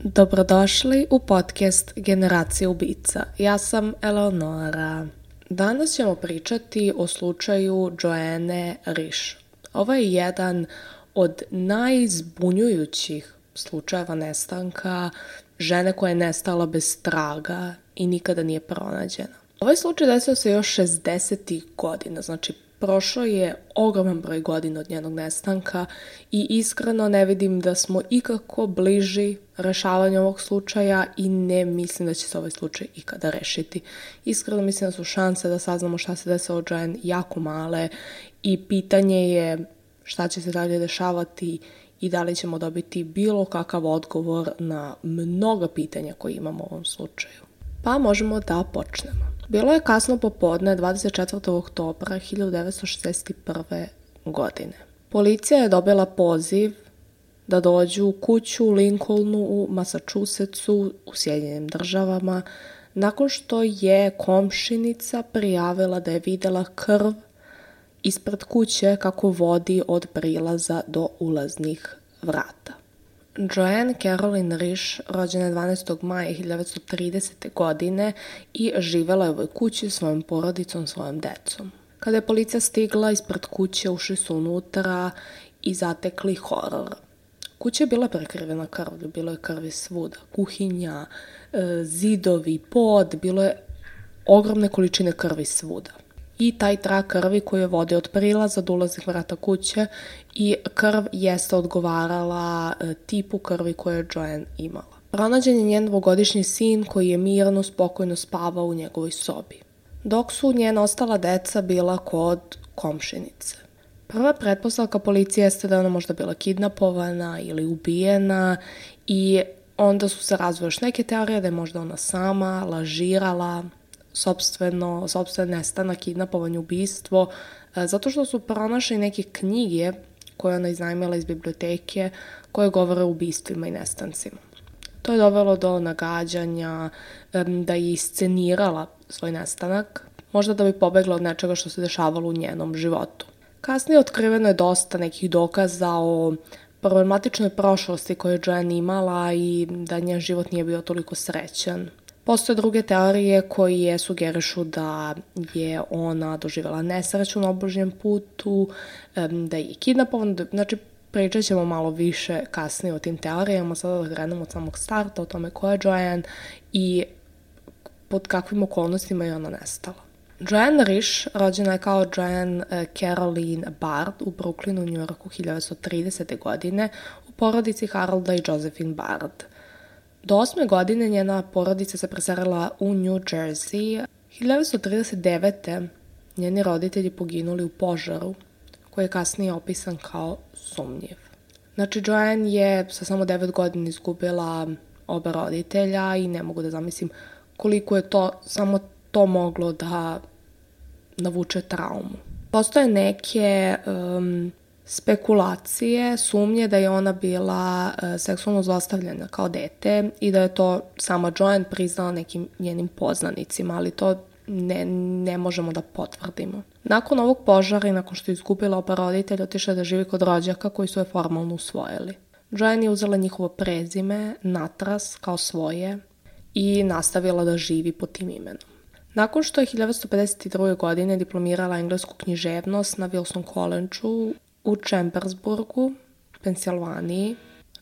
Dobrodošli u podcast Generacija ubica. Ja sam Eleonora. Danas ćemo pričati o slučaju Joanne Risch. Ovo je jedan od najzbunjujućih slučajeva nestanka žene koja je nestala bez traga i nikada nije pronađena. Ovaj slučaj desio se još 60. godina, znači prošlo je ogroman broj godina od njenog nestanka i iskreno ne vidim da smo ikako bliži rešavanju ovog slučaja i ne mislim da će se ovaj slučaj ikada rešiti. Iskreno mislim da su šanse da saznamo šta se desilo Joanne jako male i pitanje je šta će se dalje dešavati i da li ćemo dobiti bilo kakav odgovor na mnoga pitanja koje imamo u ovom slučaju. Pa možemo da počnemo. Bilo je kasno popodne 24. oktobra 1961. godine. Policija je dobila poziv da dođu u kuću u Lincolnu u Massachusettsu u Sjedinjenim Državama nakon što je komšinica prijavila da je videla krv ispred kuće kako vodi od prilaza do ulaznih vrata. Joanne Caroline Risch rođena je 12. maja 1930. godine i živela je u ovoj kući svojom porodicom, svojom decom. Kada je policija stigla ispred kuće, ušli su unutra i zatekli horor. Kuća je bila prekrivena krvlju, bilo je krvi svuda, kuhinja, zidovi, pod, bilo je ogromne količine krvi svuda. I taj trag krvi koji je vodio od prilaza do ulaznih vrata kuće i krv jeste odgovarala tipu krvi koje je Joanne imala. Pronađen je njen dvogodišnji sin koji je mirno, spokojno spavao u njegovoj sobi, dok su njena ostala deca bila kod komšinice. Prva pretpostavka policije jeste da je ona možda bila kidnapovana ili ubijena i onda su se razvile još neke teorije da je možda ona sama lažirala sopstven nestanak, kidnapovanje, ubistvo, zato što su pronašli neke knjige koje ona iznajmila iz biblioteke koje govore o ubistvima i nestancima. To je dovelo do nagađanja da je iscenirala svoj nestanak, možda da bi pobegla od nečega što se dešavalo u njenom životu. Kasnije otkriveno je dosta nekih dokaza o problematičnoj prošlosti koju je Joanne imala i da njen život nije bio toliko srećan. Postoje druge teorije koje sugerišu da je ona doživjela nesreću na obližnjem putu, da je kidnapovana, znači pričat ćemo malo više kasnije o tim teorijama, sada da krenemo od samog starta, o tome ko je Joanne i pod kakvim okolnostima je ona nestala. Joanne Risch rođena je kao Joanne Caroline Bard u Brooklynu, u Njujorku 1930. godine u porodici Harolda i Josephine Bard. Do 8. godine njena porodica se preselila u New Jersey. 1939. njeni roditelji poginuli u požaru, koji je kasnije opisan kao sumnjiv. Znači, Joanne je sa samo 9 godina izgubila oba roditelja i ne mogu da zamislim koliko je to samo to moglo da navuče traumu. Postoje neke spekulacije, sumnje da je ona bila seksualno zlostavljena kao dete i da je to sama Joanne priznala nekim njenim poznanicima, ali to ne možemo da potvrdimo. Nakon ovog požara i nakon što je izgubila oba roditelja, otišla da živi kod rođaka koji su je formalno usvojili. Joanne je uzela njihovo prezime, natras, kao svoje i nastavila da živi pod tim imenom. Nakon što je 1952. godine diplomirala englesku književnost na Wilson College-u u Chambersburgu, Pensilvaniji,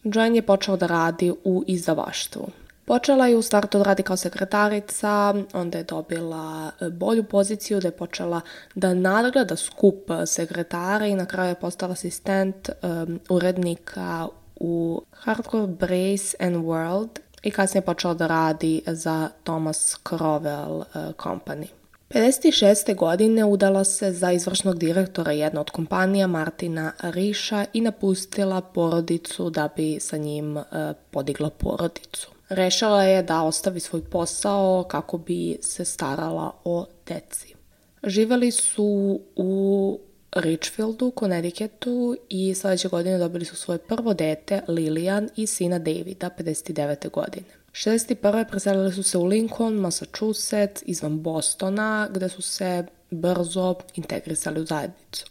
Joanne je počela da radi u izdavaštvu. Počela je u startu da radi kao sekretarica, onda je dobila bolju poziciju, da je počela da nadgleda skup sekretara i na kraju je postala asistent urednika u Hardcore Brace and World i kasnije je počela da radi za Thomas Crowell Company. 56. godine udala se za izvršnog direktora jedne od kompanija Martina Rischa i napustila porodicu da bi sa njim podigla porodicu. Rešila je da ostavi svoj posao kako bi se starala o deci. Živeli su u Richfieldu, Connecticutu i sledeće godine dobili su svoje prvo dete, Lillian, i sina Davida, 59. godine. 61. preselili su se u Lincoln, Massachusetts, izvan Bostona, gde su se brzo integrisali u zajednicu.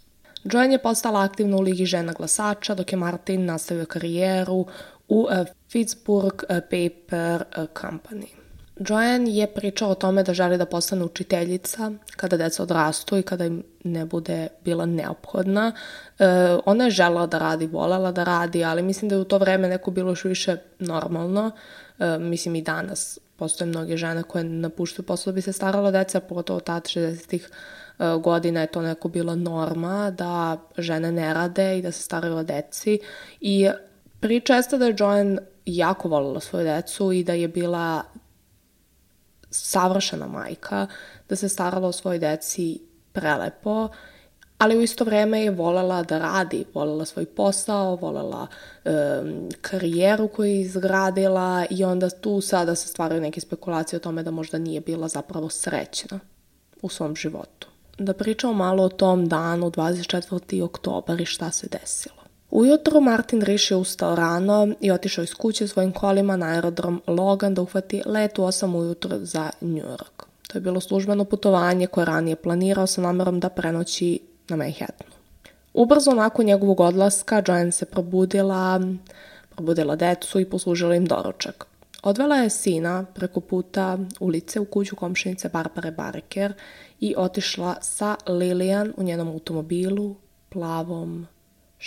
Joanne je postala aktivna u Ligi žena glasača, dok je Martin nastavio karijeru u Pittsburgh Paper Company. Joanne je pričala o tome da želi da postane učiteljica kada deca odrastu i kada im ne bude bila neophodna. Ona je želela da radi, volela da radi, ali mislim da je u to vreme neko bilo još više normalno. Mislim i danas postoje mnoge žene koje napuštaju posao da bi se starala o deca, pogotovo tad 60-ih godina je to neko bila norma da žene ne rade i da se staraju o deci. I priča jeste da je Joanne jako voljela svoju decu i da je bila savršena majka, da se starala o svojoj deci prelepo, ali u isto vreme je voljela da radi, voljela svoj posao, voljela karijeru koju je izgradila i onda tu sada se stvaraju neke spekulacije o tome da možda nije bila zapravo srećna u svom životu. Da pričamo malo o tom danu, 24. oktobar i šta se desilo. Ujutro Martin Riš je ustao rano i otišao iz kuće svojim kolima na aerodrom Logan da uhvati let u 8 ujutro za New York. To je bilo službeno putovanje koje ranije planirao sa namerom da prenoći na Manhattanu. Ubrzo nakon njegovog odlaska Joanne se probudila decu i poslužila im doručak. Odvela je sina preko puta ulice u kuću komšinice Barbare Barker i otišla sa Lilian u njenom automobilu, plavom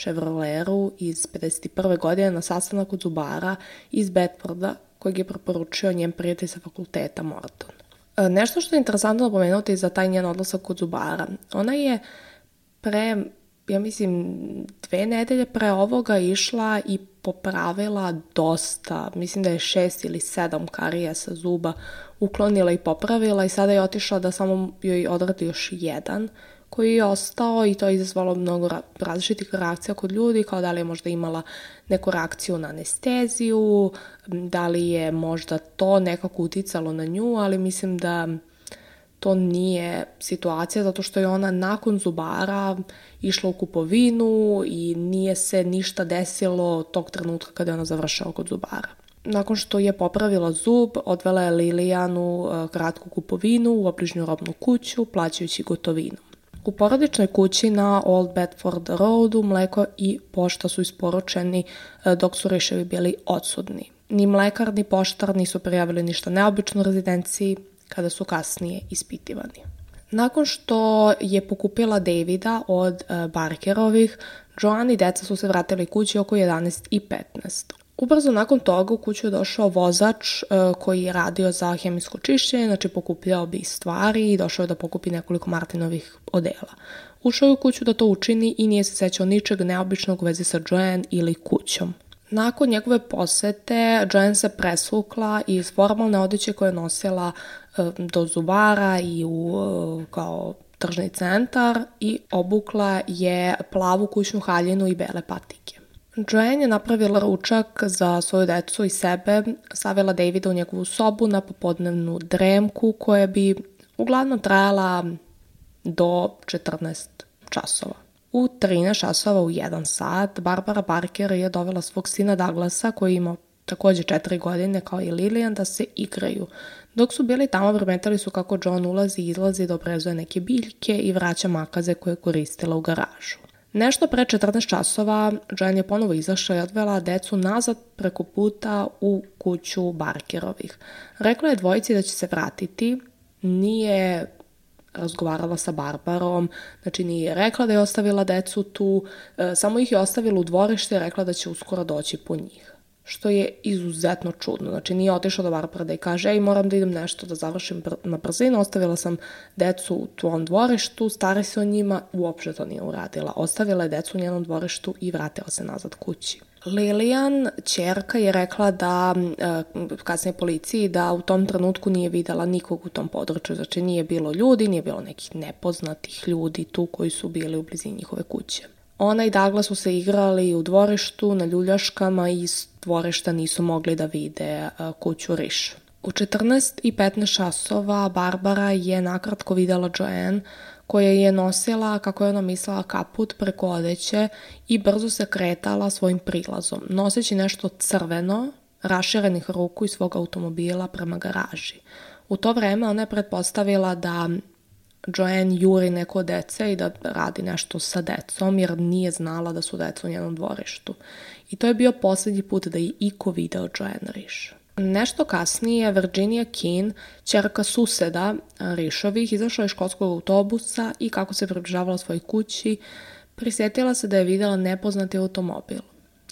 Chevroletu iz 51. godine na sastanak kod zubara iz Bedforda kojeg je preporučio njen prijatelj sa fakulteta Morton. Nešto što je interesantno napomenuti za taj njen odlazak kod zubara. Ona je ja mislim 2 nedelje pre ovoga išla i popravila dosta, mislim da je 6 ili 7 karija sa zuba uklonila i popravila i sada je otišla da samo joj odradi još jedan koji je ostao i to je izazvalo mnogo različitih reakcija kod ljudi, kao da li je možda imala neku reakciju na anesteziju, da li je možda to nekako uticalo na nju, ali mislim da to nije situacija zato što je ona nakon zubara išla u kupovinu i nije se ništa desilo tog trenutka kada je ona završila kod zubara. Nakon što je popravila zub, odvela je Lilian u kratku kupovinu u obližnju robnu kuću, plaćajući gotovinom. U porodičnoj kući na Old Bedford Roadu mleko i pošta su isporučeni dok su Riševi bili odsudni. Ni mlekar ni poštar nisu prijavili ništa neobično u rezidenciji kada su kasnije ispitivani. Nakon što je pokupila Davida od Barkerovih, Joanne i deca su se vratili kući oko 11:15. Ubrzo nakon toga u kuću je došao vozač koji je radio za hemijsko čišćenje, znači pokupljao bi stvari i došao je da pokupi nekoliko Martinovih odela. Ušao je u kuću da to učini i nije se sećao ničeg neobičnog u vezi sa Joanne ili kućom. Nakon njegove posete, Joanne se presvukla iz formalne odeće koje je nosila do zubara i kao tržni centar i obukla je plavu kućnu haljinu i bele patike. Joanne je napravila ručak za svoju decu i sebe, stavila Davida u njegovu sobu na popodnevnu dremku koja bi uglavnom trajala do 14 časova. U 13 časova u 1 sat Barbara Barker je dovela svog sina Douglasa koji ima također 4 godine kao i Lilian da se igraju. Dok su bili tamo primetili su kako John ulazi i izlazi da obrezuje neke biljke i vraća makaze koje je koristila u garažu. Nešto pre 14 časova Joanne je ponovo izašla i odvela decu nazad preko puta u kuću Barkerovih. Rekla je dvojici da će se vratiti, nije razgovarala sa Barbarom, znači nije rekla da je ostavila decu tu, samo ih je ostavila u dvorište i rekla da će uskoro doći po njih. Što je izuzetno čudno, znači nije otišla do Barbara da je kaže ej moram da idem nešto da završim na brzinu, ostavila sam decu u tvom dvorištu, stari se o njima, uopšte to nije uradila. Ostavila je decu u njenom dvorištu i vratila se nazad kući. Lilian, ćerka, je rekla da, kasnije policiji, da u tom trenutku nije videla nikog u tom području, znači nije bilo ljudi, nije bilo nekih nepoznatih ljudi tu koji su bili u blizini njihove kuće. Ona i Douglas su se igrali u dvorištu, na ljuljaškama i iz dvorišta nisu mogli da vide kuću Riš. U 14:15 časova Barbara je nakratko videla Joanne koja je nosila, kako je ona mislila, kaput preko odeće i brzo se kretala svojim prilazom, noseći nešto crveno, raširenih ruku iz svog automobila prema garaži. U to vreme ona je pretpostavila da Joanne juri neko od dece i da radi nešto sa decom jer nije znala da su deca u njenom dvorištu. I to je bio posljednji put da je iko video Joanne Risch. Nešto kasnije Virginia Keane, ćerka suseda Rischovih, izašla iz školskog autobusa i kako se približavala svojoj kući, prisjetila se da je vidjela nepoznati automobil.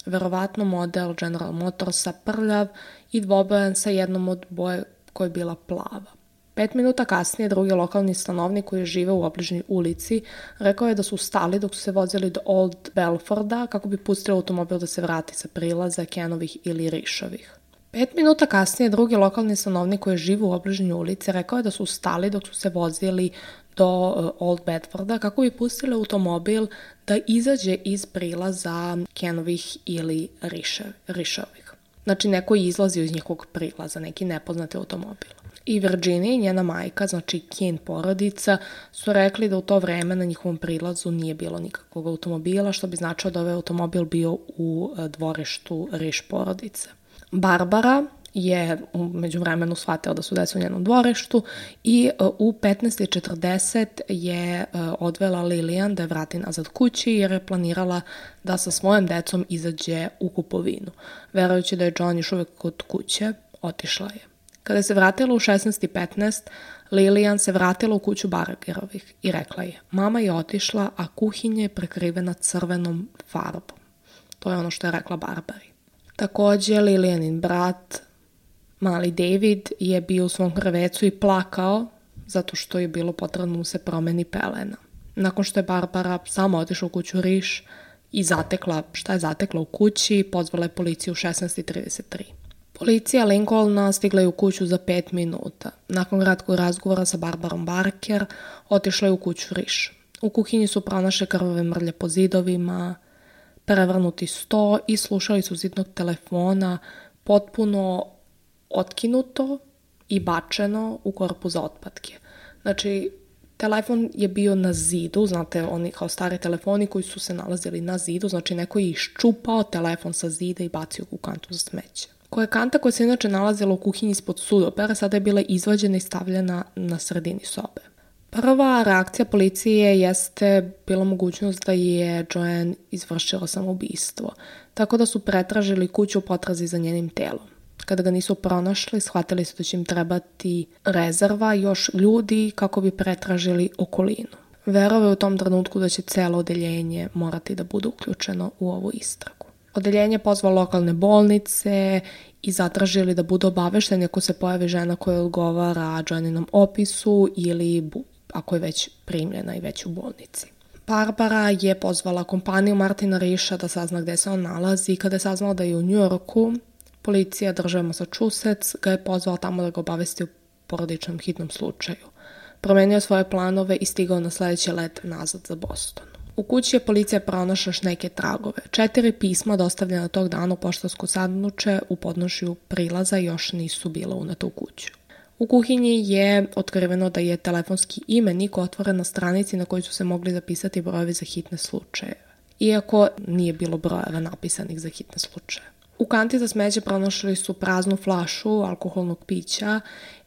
Verovatno model General Motorsa, prljav i dvobojan sa jednom od boje koja je bila plava. 5 minuta kasnije drugi lokalni stanovnik koji žive u obližnjoj ulici rekao je da su stali dok su se vozili do Old Belforda kako bi pustili automobil da se vrati sa prilaza Kenovih ili Rischovih. 5 minuta kasnije drugi lokalni stanovnik koji žive u obližnjoj ulici rekao je da su stali dok su se vozili do Old Bedforda kako bi pustili automobil da izađe iz prilaza Kenovih ili Rischovih. Znači neko je izlazio iz njihovog prilaza, neki nepoznati automobil. I Virginia i njena majka, znači Keane porodica, su rekli da u to vreme na njihovom prilazu nije bilo nikakvog automobila, što bi značilo da ovaj automobil bio u dvorištu Risch porodice. Barbara je u međuvremenu shvatila da su deca u njenom dvorištu i u 15:40 je odvela Lilian da je vrati nazad kući jer je planirala da sa svojom decom izađe u kupovinu. Verujući da je John još uvijek kod kuće, otišla je. Kada se vratila u 16:15, Lilian se vratila u kuću Bargerovih i rekla je: mama je otišla, a kuhinja je prekrivena crvenom farbom. To je ono što je rekla Barbari. Također, Lilianin brat, mali David, je bio u svom krevecu i plakao zato što je bilo potrebno mu se promeni pelena. Nakon što je Barbara sama otišla u kuću Risch i zatekla šta je zatekla u kući, pozvala je policiju u 16:33. Policija Lincolna stigla je u kuću za 5 minuta. Nakon kratkog razgovora sa Barbarom Barker, otišla je u kuću Risch. U kuhinji su pronašli krvave mrlje po zidovima, prevrnuti sto i slušali su zidnog telefona potpuno otkinuto i bačeno u korpu za otpadke. Znači, telefon je bio na zidu, znate, oni kao stari telefoni koji su se nalazili na zidu, znači neko je iščupao telefon sa zida i bacio u kantu za smeće. Koja kanta koja se inače nalazila u kuhinji ispod sudopera sada je bila izvađena i stavljena na sredini sobe. Prva reakcija policije jeste bila mogućnost da je Joanne izvršila samoubistvo, tako da su pretražili kuću u potrazi za njenim telom. Kada ga nisu pronašli, shvatili su da će im trebati rezerva još ljudi kako bi pretražili okolinu. Verovao u tom trenutku da će celo odeljenje morati da bude uključeno u ovu istragu. Odeljenje pozvalo lokalne bolnice i zatražili da budu obavešteni ako se pojavi žena koja odgovara Joanninom opisu ili ako je već primljena i već u bolnici. Barbara je pozvala kompaniju Martina Rischa da sazna gde se on nalazi i kada je saznala da je u New Yorku, policija države Massachusetts ga je pozvala tamo da ga obavesti o porodičnom hitnom slučaju. Promenio svoje planove i stigao na sljedeći let nazad za Boston. U kući je policija pronašla još neke tragove. 4 pisma dostavljena tog dana u poštarsku sanduče u podnožju prilaza još nisu bila uneta u kuću. U kuhinji je otkriveno da je telefonski imenik otvoren na stranici na kojoj su se mogli zapisati brojevi za hitne slučaje, iako nije bilo brojeva napisanih za hitne slučaje. U kanti za smeće pronašli su praznu flašu alkoholnog pića,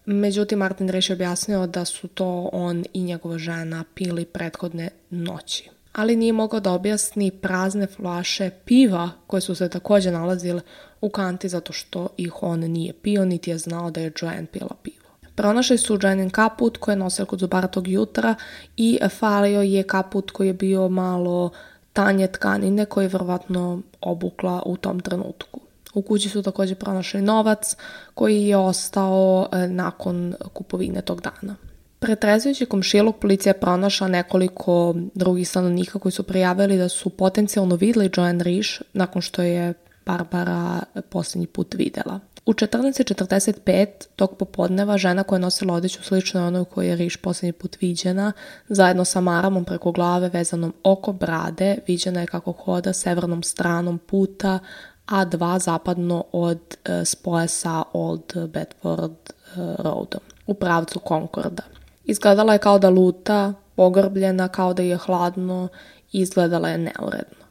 međutim Martin Risch je objasnio da su to on i njegova žena pili prethodne noći. Ali nije mogao da objasni prazne flaše piva koje su se također nalazile u kanti zato što ih on nije pio, niti je znao da je Joanne pila pivo. Pronašli su Joannin kaput koji je nosio kod zubara tog jutra i falio je kaput koji je bio malo tanje tkanine koji je vjerovatno obukla u tom trenutku. U kući su također pronašli novac koji je ostao nakon kupovine tog dana. Pretrezujući komšiluk, policija je pronašla nekoliko drugih stanovnika koji su prijavili da su potencijalno vidjeli Joanne Risch nakon što je Barbara posljednji put vidjela. U 14:45 tog popodneva žena koja je nosila odeću slično onoj koju je Risch posljednji put viđena, zajedno sa maramom preko glave vezanom oko brade, viđena je kako hoda severnom stranom puta A2 zapadno od spoja sa Old Bedford Roadom u pravcu Concorda. Izgledala je kao da luta, pogrbljena, kao da je hladno i izgledala je neuredno.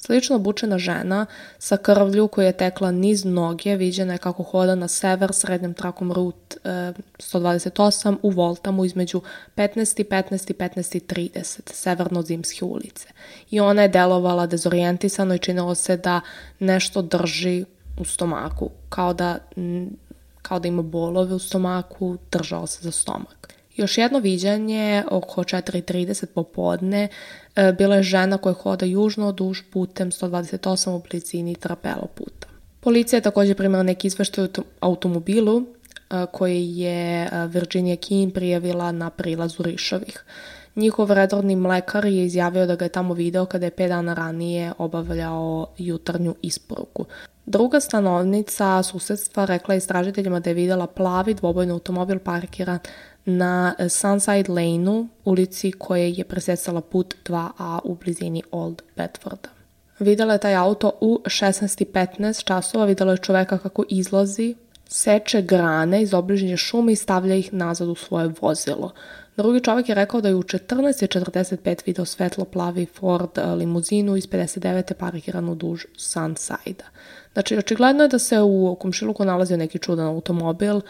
Slično obučena žena sa krvlju koja je tekla niz noge viđena je kako hoda na sever srednjom trakom Route 128 u Walthamu između 15:15 i 15:30 severno-zimske ulice. I ona je delovala dezorijentisano i činilo se da nešto drži u stomaku, kao da ima bolove u stomaku, držao se za stomak. Još jedno viđanje oko 4:30 popodne bila je žena koja hoda južno duž putem 128 u blizini Trapelo puta. Policija je također primila neki izveštaj o automobilu koji je Virginia Keane prijavila na prilazu Rišovih. Njihov redovni mlekar je izjavio da ga je tamo video kada je 5 dana ranije obavljao jutarnju isporuku. Druga stanovnica susedstva rekla je istražiteljima da je videla plavi dvobojni automobil parkiran na Sunside Lane-u, ulici koje je presecala put 2A u blizini Old Bedforda. Videla je taj auto u 16:15 časova, videla je čoveka kako izlazi, seče grane iz obližnje šume i stavlja ih nazad u svoje vozilo. Drugi čovjek je rekao da je u 14:45 video svetlo-plavi Ford limuzinu iz 59. parkiranu duž Sunside-a. Znači, očigledno je da se u komšiluku nalazio neki čudan automobil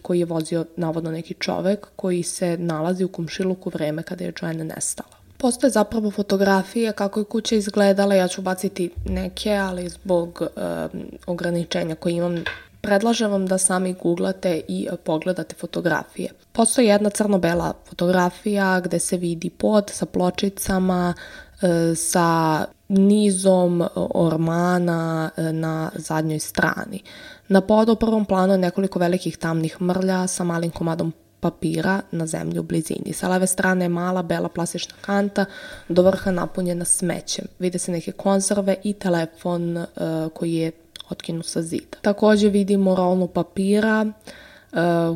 koji je vozio navodno neki čovjek koji se nalazi u komšiluku vreme kada je Joanne nestala. Postoje zapravo fotografije kako je kuća izgledala, ja ću baciti neke, ali zbog ograničenja koje imam, predlažem vam da sami googlate i pogledate fotografije. Postoji jedna crno-bela fotografija gde se vidi pod sa pločicama, sa nizom ormana na zadnjoj strani. Na podu u prvom planu je nekoliko velikih tamnih mrlja sa malim komadom papira na zemlji u blizini. Sa leve strane je mala bela plastična kanta do vrha napunjena smećem. Vide se neke konzerve i telefon koji je otkinut sa zida. Također vidimo rolnu papira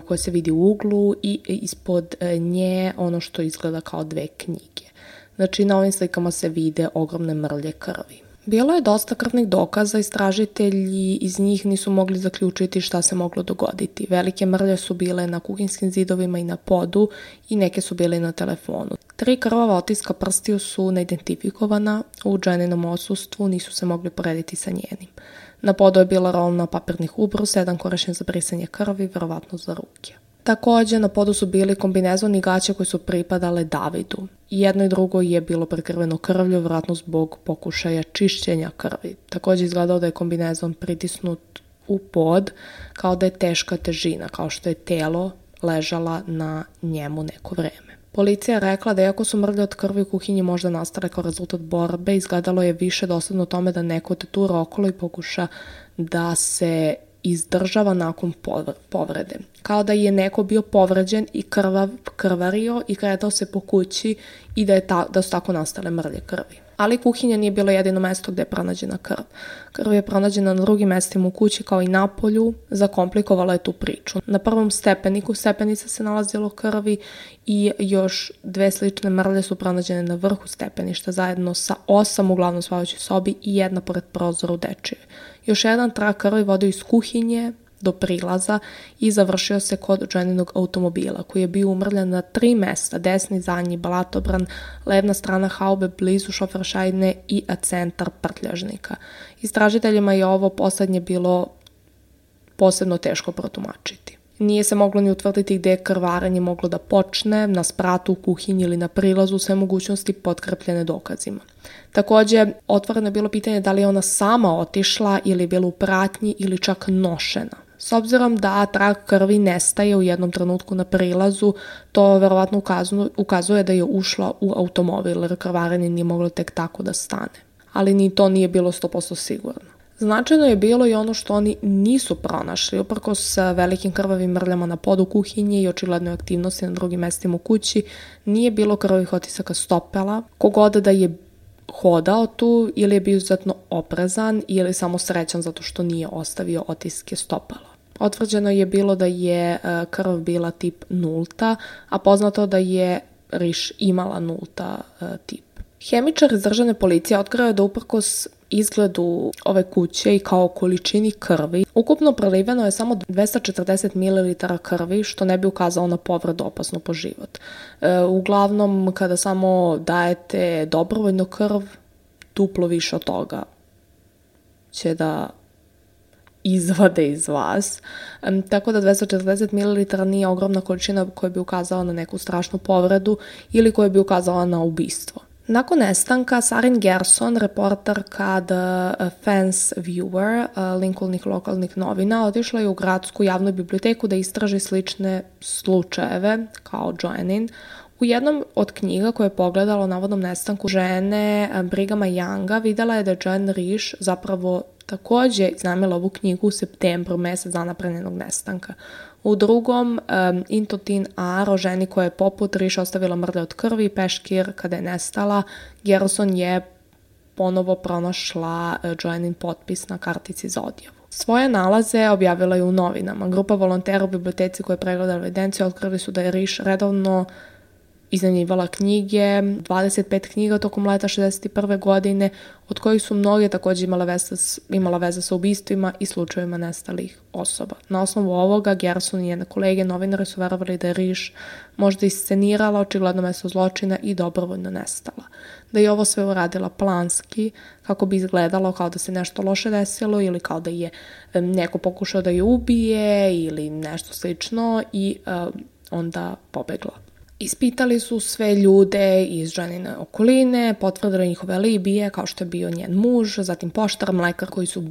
koja se vidi u uglu i ispod nje ono što izgleda kao 2 knjige. Znači, na ovim slikama se vide ogromne mrlje krvi. Bilo je dosta krvnih dokaza, istražitelji iz njih nisu mogli zaključiti šta se moglo dogoditi. Velike mrlje su bile na kuhinskim zidovima i na podu i neke su bile na telefonu. 3 krvava otiska prstiju su neidentifikovana, u Joanninom odsustvu nisu se mogli porediti sa njenim. Na podu je bila rolna papirnih ubrusa, jedan korišten za brisanje krvi, verovatno za ruke. Također, na podu su bili kombinezoni i gaće koji su pripadale Davidu. Jedno i drugo je bilo prekrveno krvlju, vjerojatno zbog pokušaja čišćenja krvi. Također izgledao da je kombinezon pritisnut u pod, kao da je teška težina, kao što je telo ležala na njemu neko vreme. Policija je rekla da iako su mrlje od krvi u kuhinji možda nastale kao rezultat borbe, izgledalo je više dosledno tome da neko tetura okolo i pokuša da se izdržava nakon povrede. Kao da je neko bio povređen i krvario i kretao se po kući i da su tako nastale mrlje krvi. Ali kuhinja nije bilo jedino mesto gdje je pronađena krv. Krv je pronađena na drugim mestima u kući kao i napolju, zakomplikovala je tu priču. Na prvom stepeniku stepenica se nalazilo krvi i još 2 slične mrlje su pronađene na vrhu stepeništa zajedno sa 8 u glavnom spavajućoj sobi i jedna pored prozora u dečijoj. Još jedan trag krvi vodio iz kuhinje do prilaza i završio se kod Joanninog automobila koji je bio umrljan na 3 mesta, desni zadnji blatobran, levna strana haube blizu šoferšajne i centar prtljažnika. Istražiteljima je ovo poslednje bilo posebno teško protumačiti. Nije se moglo ni utvrditi gdje je krvarenje moglo da počne, na spratu, u kuhinji ili na prilazu, sve mogućnosti potkrepljene dokazima. Također, otvoreno je bilo pitanje da li je ona sama otišla ili je bila u pratnji ili čak nošena. S obzirom da trag krvi nestaje u jednom trenutku na prilazu, to verovatno ukazuje da je ušla u automobil jer krvarenje nije moglo tek tako da stane. Ali ni to nije bilo 100% sigurno. Značajno je bilo i ono što oni nisu pronašli, uprkos velikim krvavim mrljama na podu kuhinje i očiglednoj aktivnosti na drugim mestima u kući, nije bilo krvavih otisaka stopala. Kogod da je hodao tu ili je bio izuzetno oprezan ili samo srećan zato što nije ostavio otiske stopala. Otvrđeno je bilo da je krv bila tip nulta, a poznato da je Riš imala nulta tip. Hemičar iz državne policije otkrio je da uprkos izgledu ove kuće i kao količini krvi, ukupno preliveno je samo 240 ml krvi, što ne bi ukazalo na povredu opasnu po život. Uglavnom, kada samo dajete dobrovoljno krv, duplo više od toga će da izvade iz vas. Tako da 240 ml nije ogromna količina koja bi ukazala na neku strašnu povredu ili koja bi ukazala na ubistvo. Nakon nestanka, Sarin Gerson, reporterka The Fence Viewer, Lincolnih lokalnih novina, otišla je u gradsku javnu biblioteku da istraži slične slučajeve kao Joannin. U jednom od knjiga koje je pogledala o navodnom nestanku žene Brighama Younga videla je da je Joanne Risch zapravo takođe iznajmila ovu knjigu u septembru, mesec dana pre njenog nestanka. U drugom, Into Thin Air, o ženi koja je poput Risch ostavila mrlje od krvi i peškir kada je nestala, Gerson je ponovo pronašla Joannin potpis na kartici za odjavu. Svoje nalaze objavila je u novinama. Grupa volontera u biblioteci koja je pregledala evidenciju otkrili su da je Risch redovno iznajmljivala knjige, 25 knjiga tokom leta 61. godine, od kojih su mnoge takođe imala veze sa ubistvima i slučajevima nestalih osoba. Na osnovu ovoga, Gerson i njene kolege novinari su verovali da je Risch možda iscenirala očigledno mesto zločina i dobrovoljno nestala. Da je ovo sve uradila planski, kako bi izgledalo kao da se nešto loše desilo ili kao da je neko pokušao da je ubije ili nešto slično i onda pobegla. Ispitali su sve ljude iz Joannine okoline, potvrdili njihove alibije, kao što je bio njen muž, zatim poštar, mlekar koji su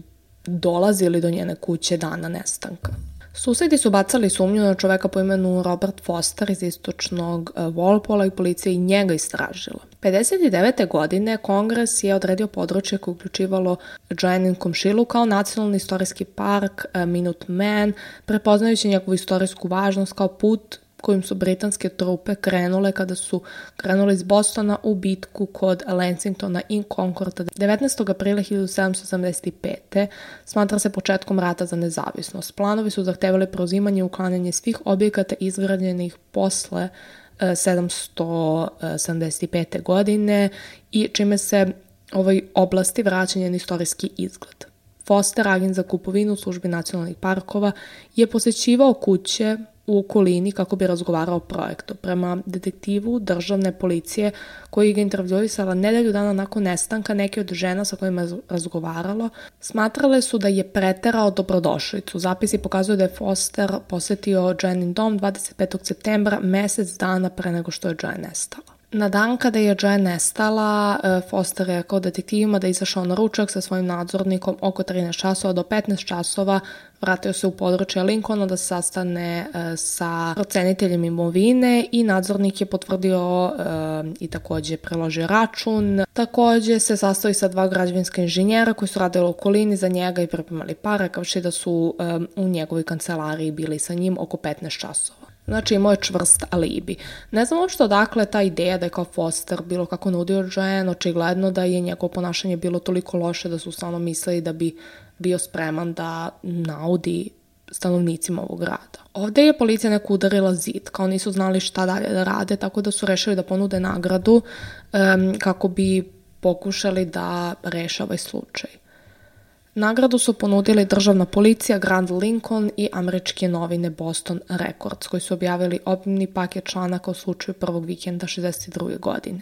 dolazili do njene kuće dana nestanka. Susedi su bacali sumnju na čoveka po imenu Robert Foster iz istočnog Walpola i policija i njega istražila. 59. godine Kongres je odredio područje koje uključivalo Joannin komšilu kao nacionalni istorijski park Minuteman, prepoznajući njegovu istorijsku važnost kao put kojim su britanske trupe krenule kada su krenule iz Bostona u bitku kod Lexingtona i Concorda 19. aprila 1775. Smatra se početkom rata za nezavisnost. Planovi su zahtevali preuzimanje i uklanjanje svih objekata izgrađenih posle 775. godine i čime se ovoj oblasti vraća njen istorijski izgled. Foster, agent za kupovinu u službi nacionalnih parkova, je posećivao kuće u okolini kako bi razgovarao o projektu. Prema detektivu državne policije koji ga intervjuisala nedelju dana nakon nestanka, neke od žena sa kojima je razgovaralo smatrale su da je preterao dobrodošlicu. Zapisi pokazuju da je Foster posetio Joannin dom 25. septembra, mesec dana pre nego što je Joanne nestala. Na dan kada je Joanne nestala, Foster je rekao detektivima da je izašao na ručak sa svojim nadzornikom oko 13 časova do 15 časova, vratio se u područje Lincolna da se sastane sa proceniteljem imovine i nadzornik je potvrdio i takođe preložio račun. Takođe se sastao i sa 2 građevinska inženjera koji su radili u okolini za njega i pripremali pare, kao što da su u njegovoj kancelariji bili sa njim oko 15 časova. Znači imao je čvrst alibi. Ne znam uopšte odakle ta ideja da je kao Foster bilo kako nudio Joanne, očigledno da je njegovo ponašanje bilo toliko loše da su stvarno mislili da bi bio spreman da naudi stanovnicima ovog grada. Ovde je policija neko udarila zid, kao nisu znali šta dalje da rade, tako da su rešili da ponude nagradu kako bi pokušali da reše ovaj slučaj. Nagradu su ponudili državna policija, Grand Lincoln i američke novine Boston Records, koji su objavili obimni paket članaka o slučaju prvog vikenda 62. godine.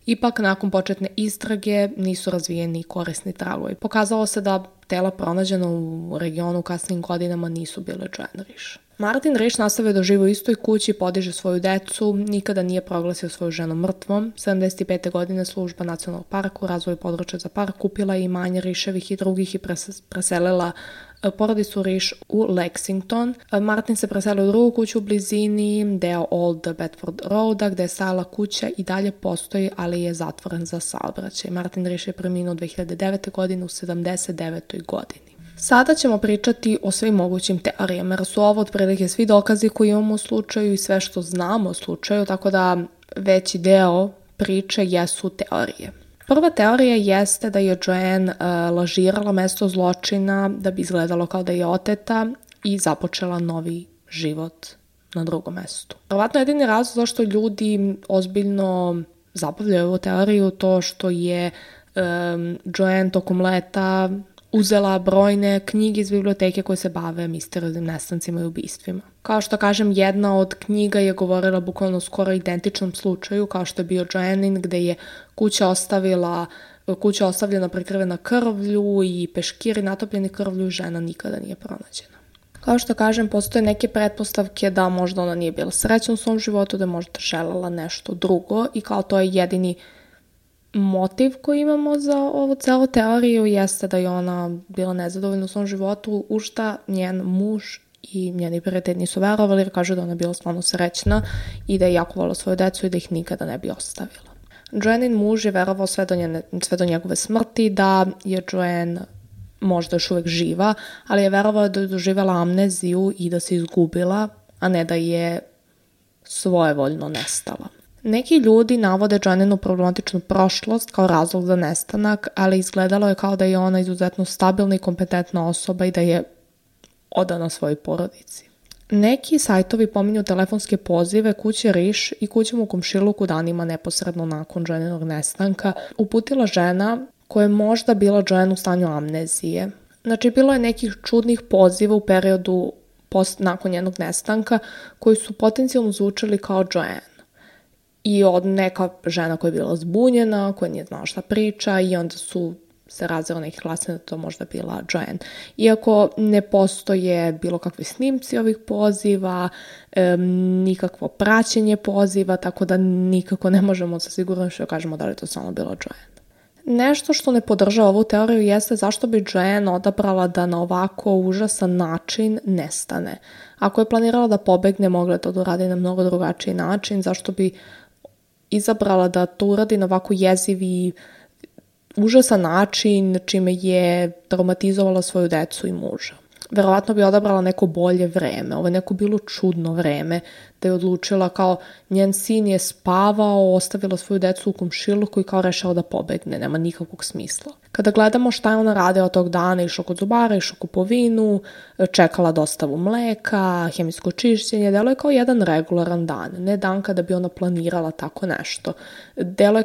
Ipak, nakon početne istrage nisu razvijeni korisni tragovi. Pokazalo se da tela pronađena u regionu u kasnim godinama nisu bile Joanne Risch. Martin Risch nastavio da živi u istoj kući, podiže svoju decu, nikada nije proglasio svoju ženu mrtvom. 75. godine služba nacionalnog parka u razvoju područja za park kupila je imanje Rischevih i drugih i preselila porodicu Risch u Lexington. Martin se preselio u drugu kuću u blizini, deo Old Bedford Roada, gde je stajala kuća i dalje postoji, ali je zatvoren za saobraćaj. Martin Risch je preminuo 2009. godine u 79. godini. Sada ćemo pričati o svim mogućim teorijama, jer su ovo otprilike svi dokazi koji imamo u slučaju i sve što znamo o slučaju, tako da veći deo priče jesu teorije. Prva teorija jeste da je Joanne lažirala mesto zločina da bi izgledalo kao da je oteta i započela novi život na drugom mestu. Verovatno jedini razlog zašto ljudi ozbiljno zabavljaju ovu teoriju to što je Joanne tokom leta uzela brojne knjige iz biblioteke koje se bave misterioznim nestancima i ubistvima. Kao što kažem, jedna od knjiga je govorila bukvalno skoro identičnom slučaju kao što je bio Joannin, gde je kuća ostavila kuća ostavljena prekrivena krvlju i peškiri natopljeni krvlju, žena nikada nije pronađena. Kao što kažem, postoje neke pretpostavke da možda ona nije bila srećna u svom životu, da je možda želela nešto drugo i kao to je jedini motiv koji imamo za ovu celu teoriju jeste da je ona bila nezadovoljna u svom životu, u šta njen muž i njeni prijatelji nisu verovali jer kažu da ona bila stvarno srećna i da je jako volila svoju decu i da ih nikada ne bi ostavila. Joannin muž je verovao sve do njegove smrti da je Joanne možda još uvijek živa, ali je verovao da je doživjela amneziju i da se izgubila, a ne da je svojevoljno nestala. Neki ljudi navode Joanninu problematičnu prošlost kao razlog za nestanak, ali izgledalo je kao da je ona izuzetno stabilna i kompetentna osoba i da je odana svojoj porodici. Neki sajtovi pominju telefonske pozive kuće Riš i kućom u komšiluku danima neposredno nakon Joanninog nestanka uputila žena koja je možda bila Joanne u stanju amnezije. Znači, bilo je nekih čudnih poziva u periodu nakon njenog nestanka koji su potencijalno zvučali kao Joanne. I od neka žena koja je bila zbunjena, koja nije znala šta priča i onda su se razvila neki glasine da to možda bila Joanne. Iako ne postoje bilo kakvi snimci ovih poziva, nikakvo praćenje poziva, tako da nikako ne možemo sa sigurnošću da kažemo da li to samo bila Joanne. Nešto što ne podržava ovu teoriju jeste zašto bi Joanne odabrala da na ovako užasan način nestane. Ako je planirala da pobegne, mogla je to da uradi na mnogo drugačiji način, zašto bi izabrala da to uradi na ovako jeziv i užasan način, čime je traumatizovala svoju decu i muža. Verovatno bi odabrala neko bolje vreme, ovo je neko bilo čudno vreme, da je odlučila kao njen sin je spavao, ostavila svoju decu u komšiluku i kao rešila da pobegne, nema nikakvog smisla. Kada gledamo šta je ona radila tog dana, išla kod zubara, išla kupovinu, čekala dostavu mleka, hemijsko čišćenje, delo je kao jedan regularan dan, ne dan kada bi ona planirala tako nešto. Delo je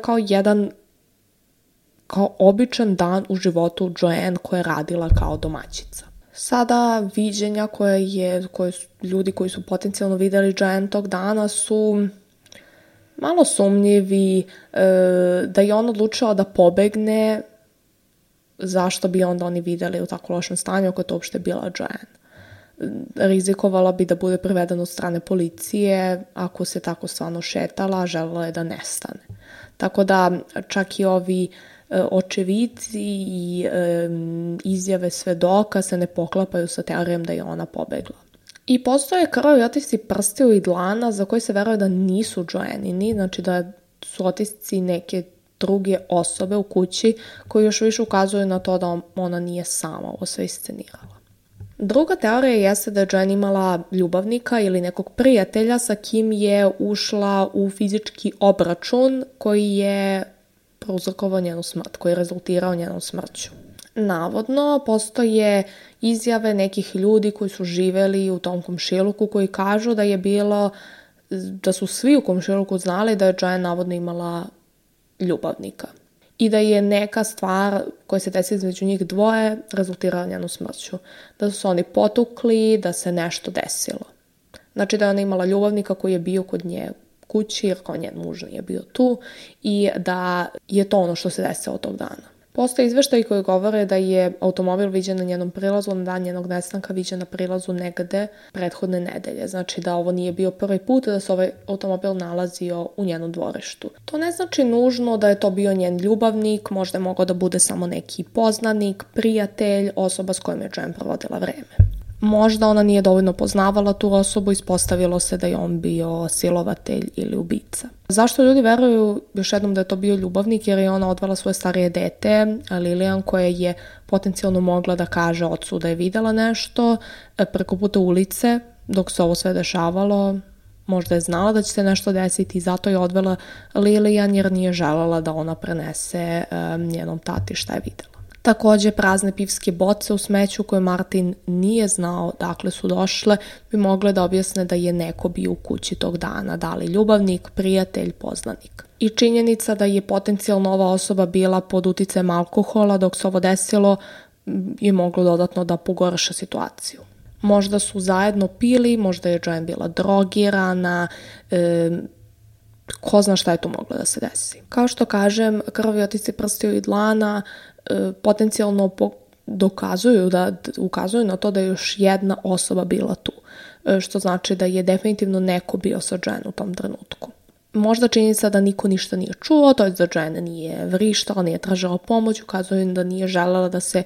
kao običan dan u životu Joanne koja je radila kao domaćica. Sada viđenja ljudi koji su potencijalno vidjeli Joanne tog dana su malo sumnjivi, da je on odlučila da pobegne, zašto bi onda oni vidjeli u tako lošem stanju ako je to uopšte bila Joanne. Rizikovala bi da bude privedena od strane policije ako se tako stvarno šetala, želela je da nestane. Tako da čak i ovi očevici i izjave svedoka se ne poklapaju sa teorijom da je ona pobegla. I postoje krvavi otisci prstiju i dlana za koje se veruje da nisu Joannini, znači da su otisci neke druge osobe u kući koji još više ukazuju na to da ona nije sama ovo sve iscenirala. Druga teorija jeste da je Joanne imala ljubavnika ili nekog prijatelja sa kim je ušla u fizički obračun koji je prouzrokovao njenu smrt, koji je rezultirao njenom smrću. Navodno, postoje izjave nekih ljudi koji su živjeli u tom komšiluku koji kažu da su svi u komšiluku znali da je Joanne navodno imala ljubavnika i da je neka stvar koja se desila između njih dvoje rezultirala njenu smrću. Da su se oni potukli, da se nešto desilo. Znači da je ona imala ljubavnika koji je bio kod nje kući jer kao njen muž nije bio tu i da je to ono što se desilo tog dana. Postoje izveštaji koji govore da je automobil viđen na njenom prilazu, na dan njenog nestanka viđen na prilazu negde prethodne nedelje. Znači da ovo nije bio prvi put da se ovaj automobil nalazio u njenom dvorištu. To ne znači nužno da je to bio njen ljubavnik, možda je mogao da bude samo neki poznanik, prijatelj, osoba s kojom je Joanne provodila vreme. Možda ona nije dovoljno poznavala tu osobu, ispostavilo se da je on bio silovatelj ili ubica. Zašto ljudi veruju još jednom da je to bio ljubavnik? Jer je ona odvela svoje starije dete, Lilian, koja je potencijalno mogla da kaže ocu da je videla nešto preko puta ulice dok se ovo sve dešavalo. Možda je znala da će se nešto desiti i zato je odvela Lilian jer nije željela da ona prenese njenom tati šta je videla. Također, prazne pivske boce u smeću koje Martin nije znao dakle su došle bi mogle da objasne da je neko bio u kući tog dana, da li ljubavnik, prijatelj, poznanik. I činjenica da je potencijalno ova osoba bila pod uticajem alkohola dok se ovo desilo je moglo dodatno da pogorša situaciju. Možda su zajedno pili, možda je Joanne bila drogirana, ko zna šta je tu moglo da se desi. Kao što kažem, krvavi otisci prstiju i dlana potencijalno ukazuju na to da je još jedna osoba bila tu, što znači da je definitivno neko bio sa Joanne u tom trenutku. Možda činjenica da niko ništa nije čuo, to je da Joanne nije vrištala, nije tražila pomoć, ukazuje da nije želela da se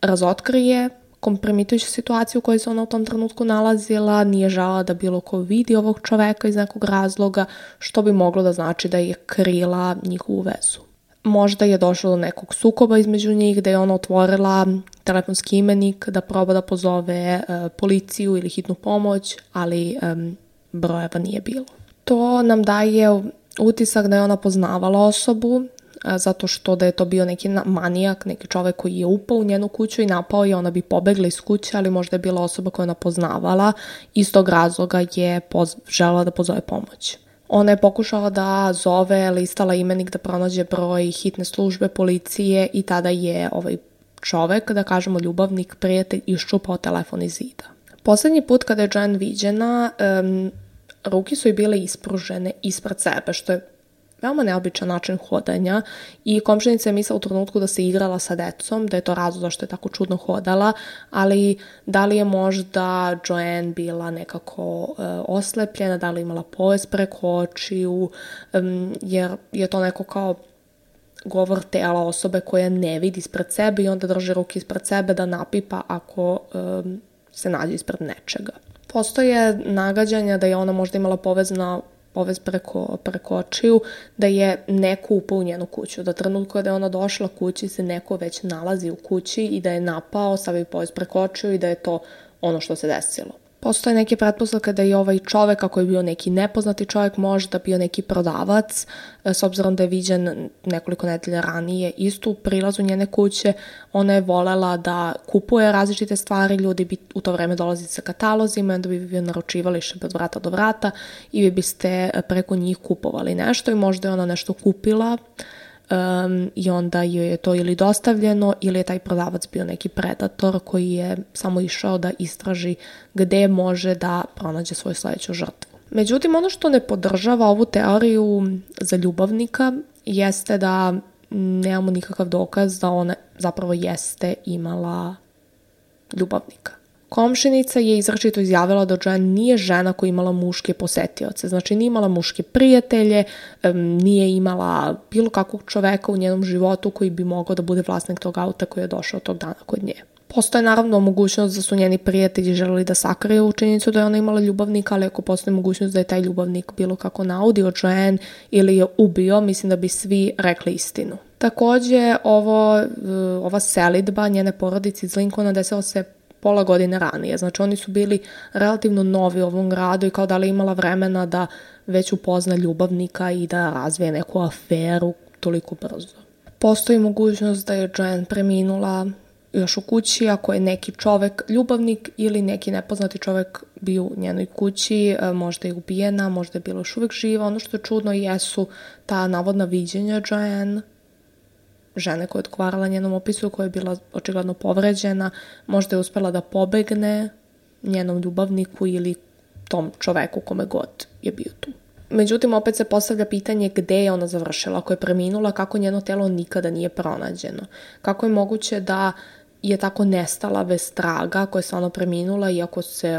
razotkrije kompromitujuća situacija u kojoj se ona u tom trenutku nalazila, nije želela da bilo ko vidi ovog čoveka iz nekog razloga, što bi moglo da znači da je krila njihovu vezu. Možda je došlo do nekog sukoba između njih, da je ona otvorila telefonski imenik da proba da pozove policiju ili hitnu pomoć, ali brojeva nije bilo. To nam daje utisak da je ona poznavala osobu, zato što da je to bio neki manijak, neki čovek koji je upao u njenu kuću i napao je, ona bi pobegla iz kuće, ali možda je bila osoba koju ona poznavala, iz tog razloga je želela da pozove pomoć. Ona je pokušala da zove, listala imenik da pronađe broj hitne službe, policije i tada je ovaj čovek, da kažemo ljubavnik, prijatelj, iščupao telefon iz zida. Poslednji put kada je Joanne viđena, ruke su joj bile ispružene ispred sebe, što je veoma neobičan način hodanja i komšinica je mislila u trenutku da se igrala sa decom, da je to razlog zašto je tako čudno hodala, ali da li je možda Joanne bila nekako oslepljena, da li je imala poves preko očiju, jer je to neko kao govor tela osobe koja ne vidi ispred sebe i onda drži ruke ispred sebe da napipa ako se nađe ispred nečega. Postoje nagađanja da je ona možda imala povez preko očiju, da je neko upao u njenu kuću, da trenutku kada je ona došla kući se neko već nalazi u kući i da je napao, stavio povez preko očiju i da je to ono što se desilo. Postoje neke pretpostavke da je ovaj čovek, ako je bio neki nepoznati čovek, možda bio neki prodavac, s obzirom da je viđen nekoliko nedelja ranije isto u prilazu njene kuće. Ona je volela da kupuje različite stvari, ljudi bi u to vreme dolazili sa katalozima, onda bi vi naručivali še od vrata do vrata i vi biste preko njih kupovali nešto i možda je ona nešto kupila i onda joj je to ili dostavljeno ili je taj prodavac bio neki predator koji je samo išao da istraži gde može da pronađe svoju sledeću žrtvu. Međutim, ono što ne podržava ovu teoriju za ljubavnika jeste da nemamo nikakav dokaz da ona zapravo jeste imala ljubavnika. Komšinica je izrečito izjavila da Joanne nije žena koja imala muške posetioce, znači nije imala muške prijatelje, nije imala bilo kakvog čoveka u njenom životu koji bi mogao da bude vlasnik tog auta koji je došao tog dana kod nje. Postoje naravno mogućnost da su njeni prijatelji želeli da sakriju činjenicu da je ona imala ljubavnika, ali ako postoji mogućnost da je taj ljubavnik bilo kako naudio Joanne ili je ubio, mislim da bi svi rekli istinu. Takođe, ova selidba njene porodice iz Lincolna desila se pola godine ranije. Znači oni su bili relativno novi u ovom gradu i kao da li imala vremena da već upozna ljubavnika i da razvije neku aferu toliko brzo. Postoji mogućnost da je Joanne preminula još u kući ako je neki čovek ljubavnik ili neki nepoznati čovek bio u njenoj kući, možda je ubijena, možda je bila još uvek živa. Ono što je čudno jesu ta navodna viđenja Joanne, žene koja je odgovarala njenom opisu, koja je bila očigledno povređena, možda je uspela da pobegne njenom ljubavniku ili tom čoveku kome god je bio tu. Međutim, opet se postavlja pitanje gde je ona završila, ako je preminula, kako njeno telo nikada nije pronađeno. Kako je moguće da je tako nestala bez traga, ako je stvarno preminula i ako se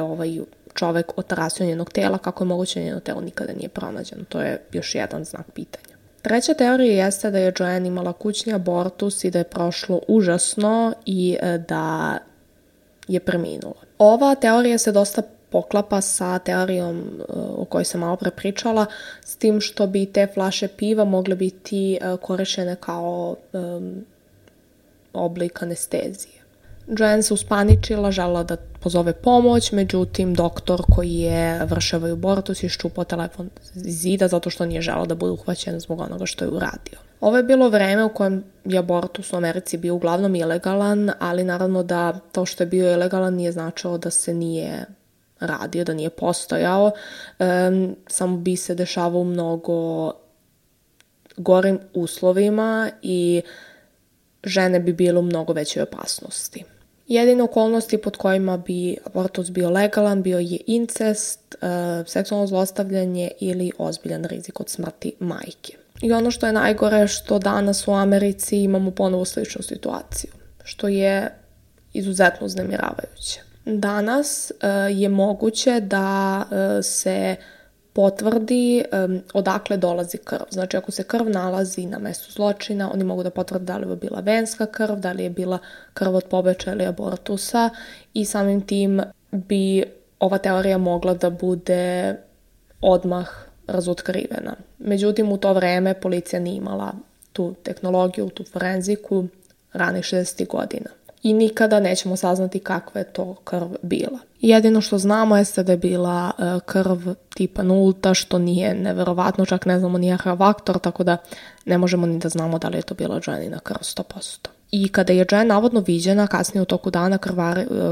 čovek otarasio njenog tela, kako je moguće da njeno telo nikada nije pronađeno. To je još jedan znak pitanja. Treća teorija jeste da je Joanne imala kućni abortus i da je prošlo užasno i da je preminula. Ova teorija se dosta poklapa sa teorijom o kojoj sam malo pre pričala, s tim što bi te flaše piva mogle biti korišćene kao oblik anestezije. Joanne se uspaničila, želela da pozove pomoć, međutim doktor koji je vršio abortus je iščupao telefon iz zida zato što nije želeo da bude uhvaćen zbog onoga što je uradio. Ovo je bilo vreme u kojem je abortus u Americi bio uglavnom ilegalan, ali naravno da to što je bio ilegalan nije značilo da se nije radio, da nije postojao, samo bi se dešavao u mnogo gorim uslovima i žene bi bile u mnogo većoj opasnosti. Jedine okolnosti pod kojima bi abortus bio legalan bio je incest, seksualno zlostavljanje ili ozbiljan rizik od smrti majke. I ono što je najgore što danas u Americi imamo ponovo sličnu situaciju, što je izuzetno uznemiravajuće. Danas je moguće da se potvrdi odakle dolazi krv. Znači, ako se krv nalazi na mestu zločina, oni mogu da potvrde da li je bila venska krv, da li je bila krv od pobačaja ili abortusa i samim tim bi ova teorija mogla da bude odmah razotkrivena. Međutim, u to vreme policija nije imala tu tehnologiju, tu forenziku ranih 60. godina. I nikada nećemo saznati kakva je to krv bila. Jedino što znamo jeste da je bila krv tipa nulta, što nije neverovatno, čak ne znamo ni faktor, tako da ne možemo ni da znamo da li je to bila Joannina krv 100%. I kada je Joanne navodno viđena, kasnije u toku dana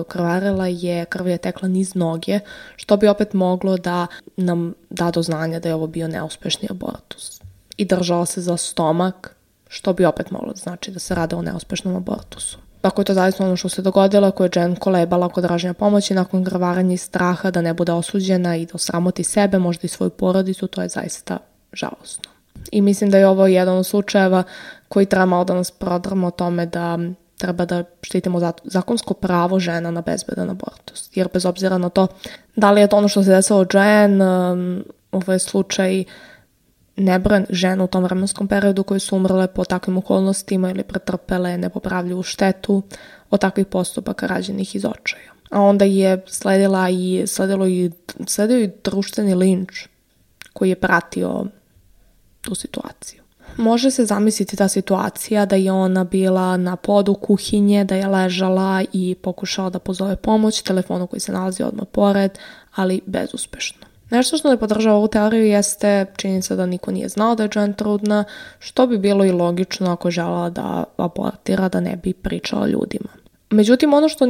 krvarila je, krv je tekla niz noge, što bi opet moglo da nam da do znanja da je ovo bio neuspešni abortus. I držala se za stomak, što bi opet moglo da znači da se rade o neuspešnom abortusu. Ako je to zavisno ono što se dogodilo, ako je Joanne kolebala kod traženja pomoći nakon krvaranja i straha da ne bude osuđena i da osramoti sebe, možda i svoju porodicu, to je zaista žalosno. I mislim da je ovo jedan od slučajeva koji treba malo da nas prodrma o tome da treba da štitimo zakonsko pravo žena na bezbedan abortus. Jer bez obzira na to da li je to ono što se desilo Joanne, ovo je slučaj nebrojen žena u tom vremenskom periodu koje su umrle po takvim okolnostima ili pretrpele nepopravljivu štetu od takvih postupaka rađenih iz očaja. A onda je sledio i društveni linč koji je pratio tu situaciju. Može se zamisliti ta situacija da je ona bila na podu kuhinje, da je ležala i pokušala da pozove pomoć telefonu koji se nalazi odmah pored, ali bezuspešno. Nešto što ne podržava ovu teoriju jeste činjenica da niko nije znao da je Joanne trudna, što bi bilo i logično ako je želela da abortira, da ne bi pričala ljudima. Međutim, ono što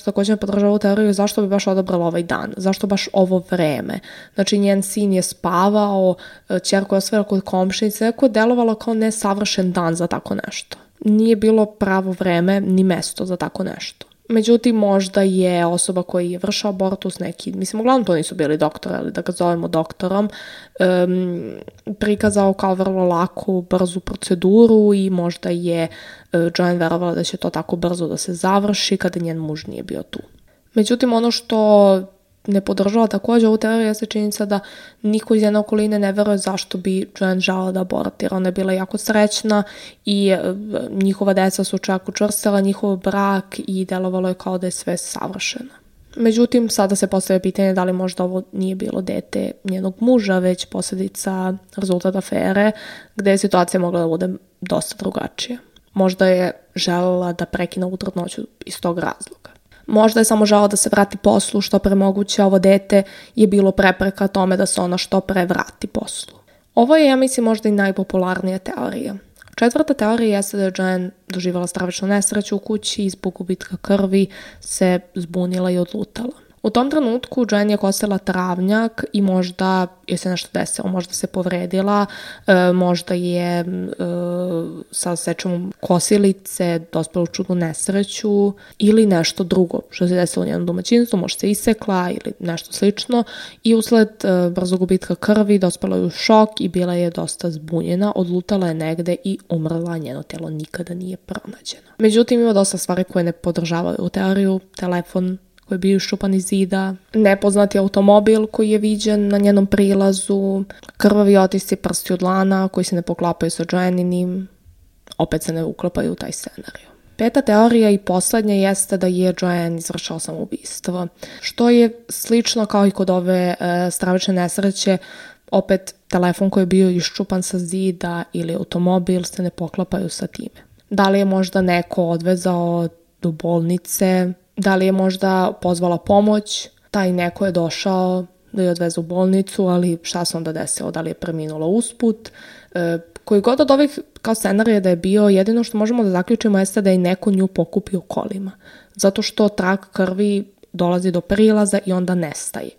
također ne podržava ovu teoriju je zašto bi baš odabrala ovaj dan, zašto baš ovo vreme. Znači, njen sin je spavao, ćerka je osvojila kod komšinice, neko je delovalo kao nesavršen dan za tako nešto. Nije bilo pravo vreme ni mesto za tako nešto. Međutim, možda je osoba koja je vršila abortus uglavnom to nisu bili doktori, ali da ga zovemo doktorom, prikazao kao vrlo laku, brzu proceduru i možda je Joanne verovala da će to tako brzo da se završi kada njen muž nije bio tu. Međutim, ono što ne podržava također ovu teoriju jeste činjenica da niko iz jedne okoline ne veruje zašto bi Joanne želela da abortira. Ona je bila jako srećna i njihova deca su čak učvrstila njihov brak i delovalo je kao da je sve savršeno. Međutim, sada se postavlja pitanje da li možda ovo nije bilo dete njenog muža, već posljedica rezultat afere, gde je situacija mogla da bude dosta drugačija. Možda je želela da prekine ovu trudnoću iz tog razloga. Možda je samo želela da se vrati poslu što pre moguće, ovo dete je bilo prepreka tome da se ona što pre vrati poslu. Ovo je, ja mislim, možda i najpopularnija teorija. Četvrta teorija jeste da je Joanne doživjela stravičnu nesreću u kući i zbog gubitka krvi se zbunila i odlutala. U tom trenutku Joanne je kosila travnjak i možda je se nešto desilo, možda se povredila, možda je sa sečom kosilice dospela u čudnu nesreću ili nešto drugo što se desilo u njenom domaćinstvu, možda se isekla ili nešto slično i usled brzog gubitka krvi dospela je u šok i bila je dosta zbunjena, odlutala je negde i umrla, njeno telo nikada nije pronađeno. Međutim, ima dosta stvari koje ne podržavaju u teoriju, telefon koji je bio iščupan iz zida, nepoznati automobil koji je viđen na njenom prilazu, krvavi otisci prsti od dlana koji se ne poklapaju sa Joanninim, opet se ne uklapaju u taj scenarij. Peta teorija i poslednja jeste da je Joanne izvršila samoubistvo, što je slično kao i kod ove stravične nesreće, opet telefon koji je bio iščupan sa zida ili automobil se ne poklapaju sa time. Da li je možda neko odvezao do bolnice, da li je možda pozvala pomoć, taj neko je došao da je odveze u bolnicu, ali šta se onda desilo, da li je preminula usput. Koji god od ovih kao scenarija da je bio, jedino što možemo da zaključimo jeste da je neko nju pokupio kolima, zato što trag krvi dolazi do prilaza i onda nestaje.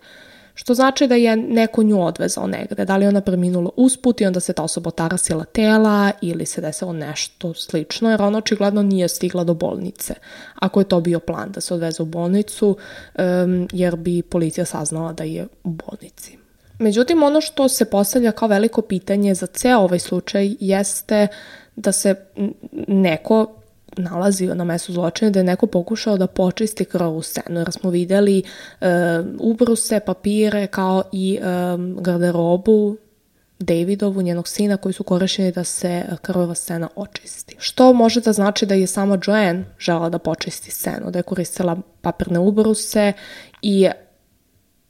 Što znači da je neko nju odvezao negde, da li je ona preminula usput i onda se ta osoba otarasila tela ili se desilo nešto slično, jer ona očigledno nije stigla do bolnice. Ako je to bio plan da se odveze u bolnicu, jer bi policija saznala da je u bolnici. Međutim, ono što se postavlja kao veliko pitanje za ceo ovaj slučaj jeste da se neko nalazio na mestu zločina, da je neko pokušao da počisti krvavu scenu, jer smo videli ubruse, papire kao i garderobu Davidovu, njenog sina, koji su korišćeni da se krvava scena očisti. Što može da znači da je sama Joanne žela da počisti scenu, da je koristila papirne ubruse i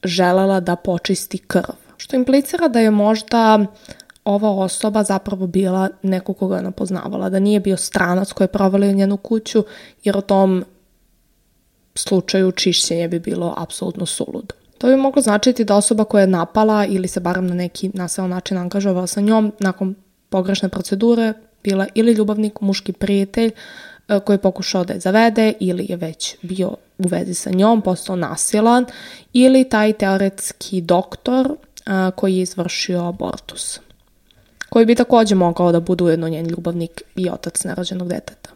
želela da počisti krv. Što implicira da je možda ova osoba zapravo bila neko koga ona poznavala, da nije bio stranac koji je provalio njenu kuću, jer u tom slučaju čišćenje bi bilo apsolutno suludo. To bi moglo značiti da osoba koja je napala ili se barem na neki nasilan način angažovala sa njom nakon pogrešne procedure bila ili ljubavnik, muški prijatelj koji je pokušao da je zavede ili je već bio u vezi sa njom, postao nasilan, ili taj teoretski doktor koji je izvršio abortus, koji bi takođe mogao da bude ujedno njen ljubavnik i otac nerođenog deteta.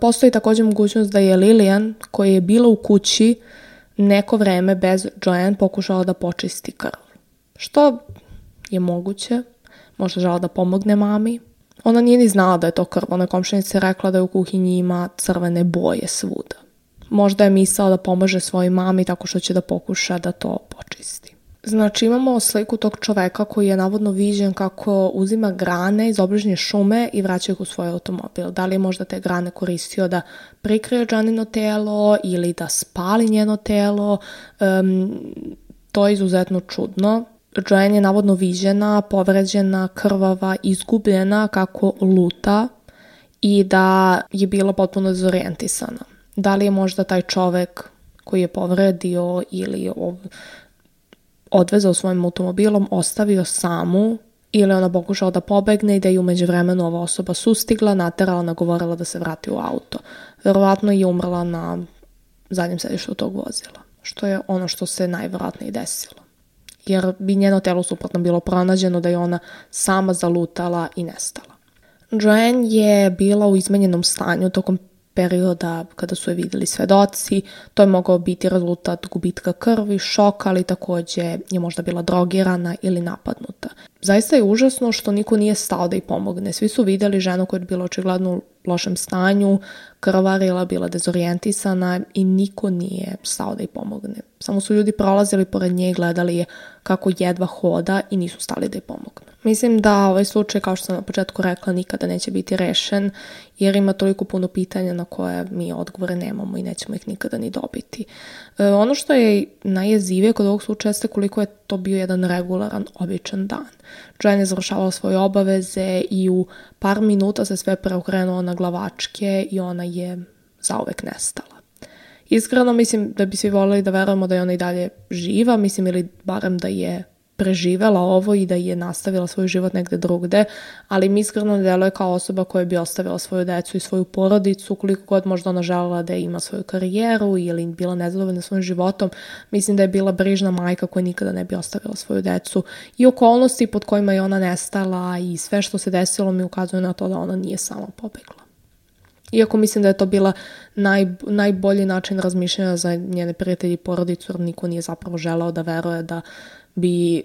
Postoji takođe mogućnost da je Lillian, koja je bila u kući neko vreme bez Joanne, pokušala da počisti krv. Što je moguće, možda žela da pomogne mami. Ona nije ni znala da je to krv, ona je komšinica rekla da je u kuhinji ima crvene boje svuda. Možda je mislila da pomaže svojoj mami tako što će da pokuša da to počisti. Znači imamo sliku tog čoveka koji je navodno viđen kako uzima grane iz obližnje šume i vraća ih u svoj automobil. Da li je možda te grane koristio da prikrije Joannino telo ili da spali njeno telo, to je izuzetno čudno. Joanne je navodno viđena, povređena, krvava, izgubljena kako luta i da je bila potpuno dezorijentisana. Da li je možda taj čovek koji je povredio ili odvezao svojim automobilom, ostavio samu, ili ona pokušala da pobegne i da je u međuvremenu ova osoba sustigla, naterala, nagovorila da se vrati u auto. Verovatno je umrla na zadnjem sedištu tog vozila, što je ono što se najverovatnije desilo. Jer bi njeno telo suprotno bilo pronađeno da je ona sama zalutala i nestala. Joanne je bila u izmenjenom stanju tokom perioda kada su je videli svedoci. To je mogao biti rezultat gubitka krvi, šoka, ali takođe je možda bila drogirana ili napadnuta. Zaista je užasno što niko nije stao da ih pomogne. Svi su videli ženu koja je bila očigledno u lošem stanju, krvarila, bila dezorijentisana i niko nije stao da ih pomogne. Samo su ljudi prolazili pored nje i gledali je kako jedva hoda i nisu stali da ih pomognu. Mislim da ovaj slučaj, kao što sam na početku rekla, nikada neće biti rešen, jer ima toliko puno pitanja na koje mi odgovore nemamo i nećemo ih nikada ni dobiti. Ono što je najjezivije kod ovog slučaja jeste koliko je to bio jedan regularan, običan dan. Joanne je završavala svoje obaveze i u par minuta se sve preokrenulo na glavačke i ona je zauvek nestala. Iskreno mislim da bi svi voljeli da verujemo da je ona i dalje živa, mislim ili barem da je preživela ovo i da je nastavila svoj život negde drugde, ali mi iskreno ne deluje kao osoba koja bi ostavila svoju decu i svoju porodicu, koliko god možda ona želela da ima svoju karijeru ili bila nezadovoljna svojim životom. Mislim da je bila brižna majka koja nikada ne bi ostavila svoju decu i okolnosti pod kojima je ona nestala i sve što se desilo mi ukazuje na to da ona nije sama pobegla. Iako mislim da je to bila najbolji način razmišljanja za njene prijatelji i porodicu, jer niko nije zapravo želeo da veruje da bi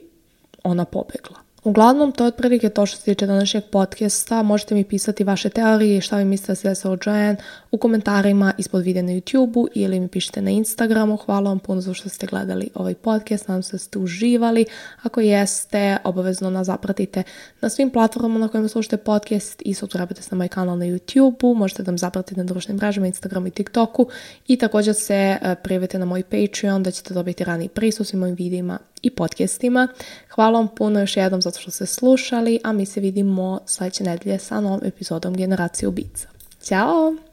ona pobegla. Uglavnom, to je otprilike to što se tiče današnjeg podcasta. Možete mi pisati vaše teorije i šta vi mislite da se desilo Joanne u komentarima ispod videa na YouTube-u ili mi pišite na Instagramu. Hvala vam puno za što ste gledali ovaj podcast. Nadam se da ste uživali. Ako jeste, obavezno nas zapratite na svim platformama na kojima slušate podcast i subscribe-te se na moj kanal na YouTube-u. Možete da me zapratite na društvenim mrežama, Instagramu i TikToku i također se prijavite na moj Patreon da ćete dobiti raniji pristup svim mojim videima i podcastima. Hvala vam puno još jednom zato što ste slušali, a mi se vidimo sledeće nedelje sa novom epizodom Generacije ubica. Ćao!